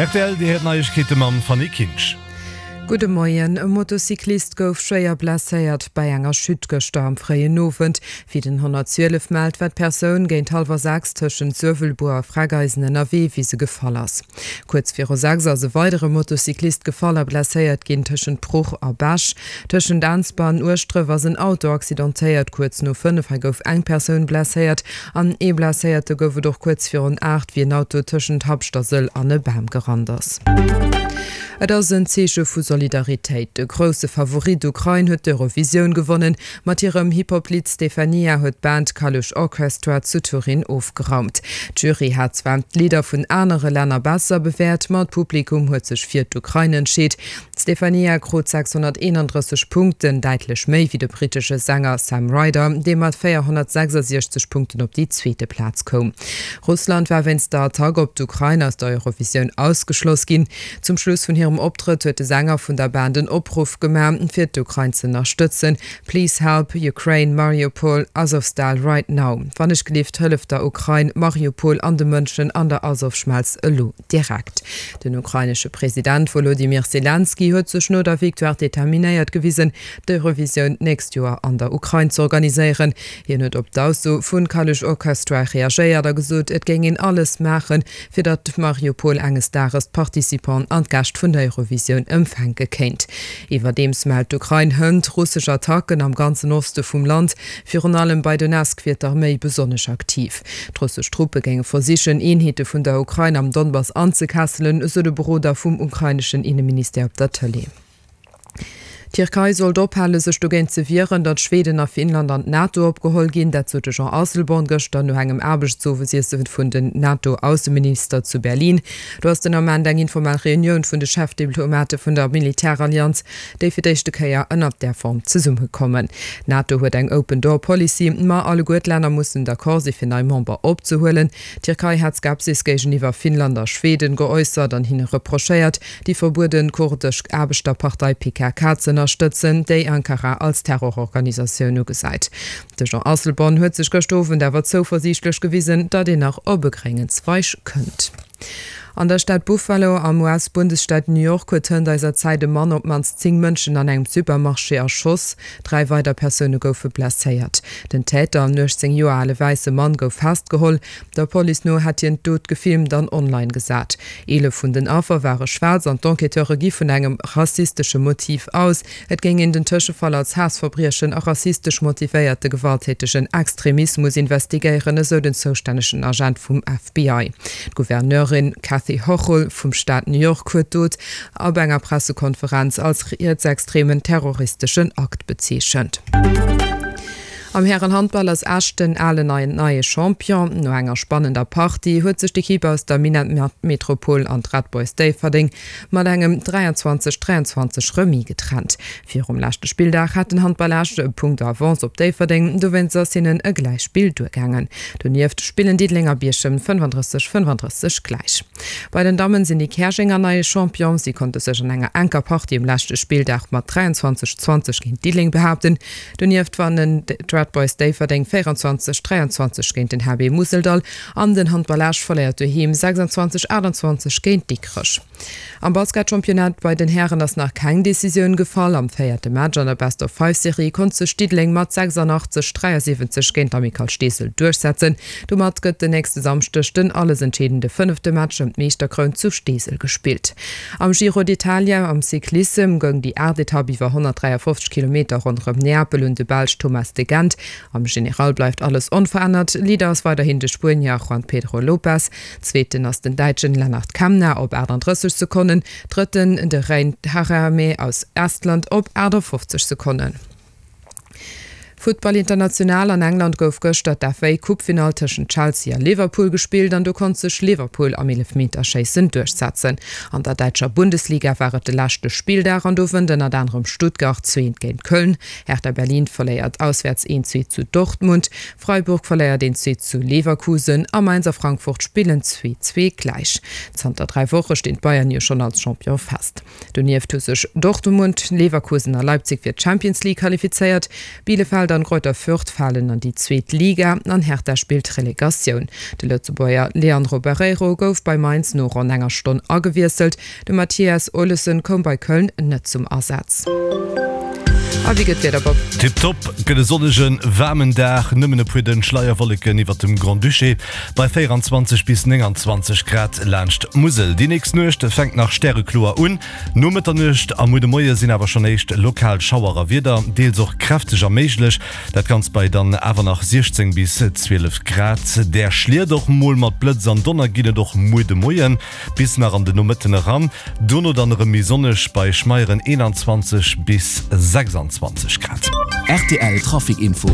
Rtl, Dir héiert Neiegkeete mam Fanny Kinsch. Gudde Moien. E Motocyclist gouf schwéier blesséiert bei enger Chute gëschter am fréien Owend. Wéi den 112 mellt, war d'Persoun géint hallwer 6 tëschent Suewelbuer a Freckeisen ënnerwee, wéi se gefall ass. Kuerz viru 6 ass e weidere Motocyclist gefall a blesséiert ginn tëschent Bruch a Bech. Tëschent Ensber an Ueschdref ass en Auto accidentéiert. Kuerz no 5 hei gouf eng Persoun blesséiert an ee Blesséierte gouf et och kuerz virun 8, wéi en Auto tëschent Habscht a Sëll an e Bam gerannt ass. Et ass en Zeeche vu Solidaritéit. De grousse Favorit Ukrain huet d'Eurovisioun gewonnen. Mat hirem Hip-Hop-Lidd Stefania huet d'Band Kalush Orchestra zu Turin ofgeraumt. D'Jury hat zwar d'Lidder vun anere Länner besser bewäert, ma d'Publikum huet sech fir d'Ukrain entscheet. D'Stefania krut 631 Punkten, däitlech méi wéi de brittesche Sänger Sam Ryder, dee mat 466 Punkten op déi zweete Plaz koum. Russland war wéinst der Attack op d'Ukrain aus der Eurovisioun ausgeschloss ginn. Zum Schluss vun hirem Optrëtt huet de Sänger vun der Band en Opruff gemaach, fir d'Ukrain z'ënnerstëtzen, Please help Ukraine, Mariupol, Azovstal right now. Wannechgelift, hëlleft der Ukrain, Mariupol an de Mënschen an der Azovschmelz elo. Direkt. Den ukrainesche President Wolodymyr Selenskyj huet sech no der Victoire determinéiert gewisen, d'Eurovisioun d'nächst Joer an der Ukrain z'organiséieren. Hien huet op d'Ausso vu Kalush Orchestra reagéiert a gesot, et géing een alles maachen, fir datt Mariupol enges Dages d'Participanten an d'Gäscht vun der Eurovisioun empfänke kéint. Iwwerdeems mellt d'Ukrain hënt russesch Attacken am ganzen Oste vum Land. Virun allem bei Donezk wier d'Arméi besonnesch aktiv. D'russesch Truppe géinge versichen, Eenheete vun der Ukrain am Donbass anzekesselen, esou de Beroder vum ukraineschen Inneministère op der Tëlee. D'Tierkei sollt ophale sech dogéint ze wieren, datt Schweden a Finnland an d'NATO opgeholl ginn. Dat sot de Jean Asselborn gëschter no engem Aarbechtsowesiesse vun den NATO-Ausseminister zu Berlin. Do ass den Ament eng informell Reunioun vun de Chefdiplomate vun der Militärallianz déi fir d'éischte Kéier ënnert där Form zesummekommen. D'NATO huet eng Open Door Policy, ma alleguer d'Länner mussen d'accord si fir nei Member opzehuelen. D'Tierkei hat Skepsis géigeniwwer Finnland a Schweden geäussert an hinne reprochéiert, déi verbuede kurdesch Aarbechterpartei PKK z'ënnerstëtzen, déi Ankara als Terrororganisatioun ugesäit. De Jean Asselborn huet sech gëscht Owend awer zouversiichtlech gewisen, datt een nach op e gréngen Zweig kënnt. An der Stad Buffalo am US-Bundesstaat New York huet hënt eiser Zäit e Mann op d'mannst 10 Mënschen an engem Supermarché erschoss. Dräi weider Persoune goufe blesséiert. Den Täter, en 18 Joer ale wäisse Mann, gouf festgeholl. Der Police no hätt hien d'Dot gefilmt an online gesat. 11 vun den Affer ware schwaarz an d'Enquêteure gi vun engem rassistesche Motiv aus. Et géing een den Tëschefall als Haassverbriechen a rassistesch motivéierte gewalttätegen Extremismus investigéieren, esou den zoustännegen Agent vum FBI. D'Gouverneurin Kathy Hochul vum Staat New York huet d'Dot op enger Pressekonferenz als rietsextremen terroristeschen Akt bezeechent. Am Härenhandball ass Esch den alen neien neie Champion. No enger spannender Partie huet sech d'Ekipp aus der Minett-Metropol an d'Red Boys Déifferdeng mat engem 23, 23 Remis getrennt. Virum leschte Spilldag hat den Handball Esch e Punkt Avance op Déifferdeng, dowéinst ass hinnen e Gläichspill duergaangen. Donieft spillen Diddeleng a Bierchem 35, 35 gläich. Bei den Dammen sinn déi Käerjenger neie Champion. Si konnte sech an enger enker Partie um leschte Spilldag mat 23, 20 géint Diddeleng behaapten. Donieft wannen d'Red Boys Déifferdeng 24, 23 géint den HB Museldall an den Handball Esch verléiert doheem 26, 28 géint Dikrech. Am Basketchampionnat bei den Hären ass nach keng Decisioun gefall. Am véierte Match an der Best-of-Five-Serie konnt sech Diddeleng mat 86, 73 géint d'Amicale Steesel duerchsetzen. Domat gëtt den nächste Samschdeg den alles entscheedende fënnefte Match ëm d'Meeschterkroun zu Steesel gespillt. Am Giro d'Italia am Cyclissem goung déi aacht Etapp iwwer 153 Kilometer ronderëm Neapel un de Belsch Thomas de Gendt. Am General bleift alles onverännert, Leader ass weiderhin de Spuenier Juan Pedro Lopez, Zweeten ass den Däitschen Lennart Kemna op 38 Sekonnen, Drëtten de Rein Taaramäe aus Estland op 58 Sekonnen. Futtball International, An England gouf gëschter d'FA-Coupe-Finall tëschent Chelsea a Liverpool gespillt an do konnt sech Liverpool am Eelefmeterschéissen duerchsetzen. An der däitscher Bundesliga war et de leschte Spilldag an do wënnt ënnert anerem Stuttgart zweent géint Köln. Hertha Berlin verléiert auswäerts 1, 2 zu Dortmund, Freiburg verléiert 1, 2 zu Leverkusen a Mainz a Frankfurt spillen 2, 2 gläich. Zanter 3 Woche stinn d'Bayern jo schonn als Champion fest. Donieft hu sech Dortmund, Leverkusen a Leipzig fir d'Champions League qualifizéiert. Bielefeld. Bielefeld an Greuther Fürth falen an déi zweet Liga an Hertha spillt Relegatioun. De Lëtzebuerger Leandro Barreiro gouf bei Mainz no ronn enger Stonn agewiesselt. De Mathias Olesen koum bei Köln net zum Asaz. A wéi gëtt d'Wieder, Bob? Tiptop, gëtt e sonnegen, waarmen Dag, nëmmen e puer dënn Schleierwolleken iwwert dem Grand-Duché bei 24 bis 29 Grad laanscht d'Musel. Déi nächst Nuecht fänkt nach stärekloer un, no Mëtternuecht a muer de Moie sinn awer schonn éischt lokal Schauer a Wieder, deels och kräfteger méiglech. Dat Ganzt bei dann awer nach 16 bis 12 Grad. Där Schliet och mol mat Blëtz an Donner ginn et och muer de Moien bis nach an de Nomëtten eran. Dono dann erëm méi sonneg bei schmeieren 21 bis 26 Grad. Rtl Trafic Info.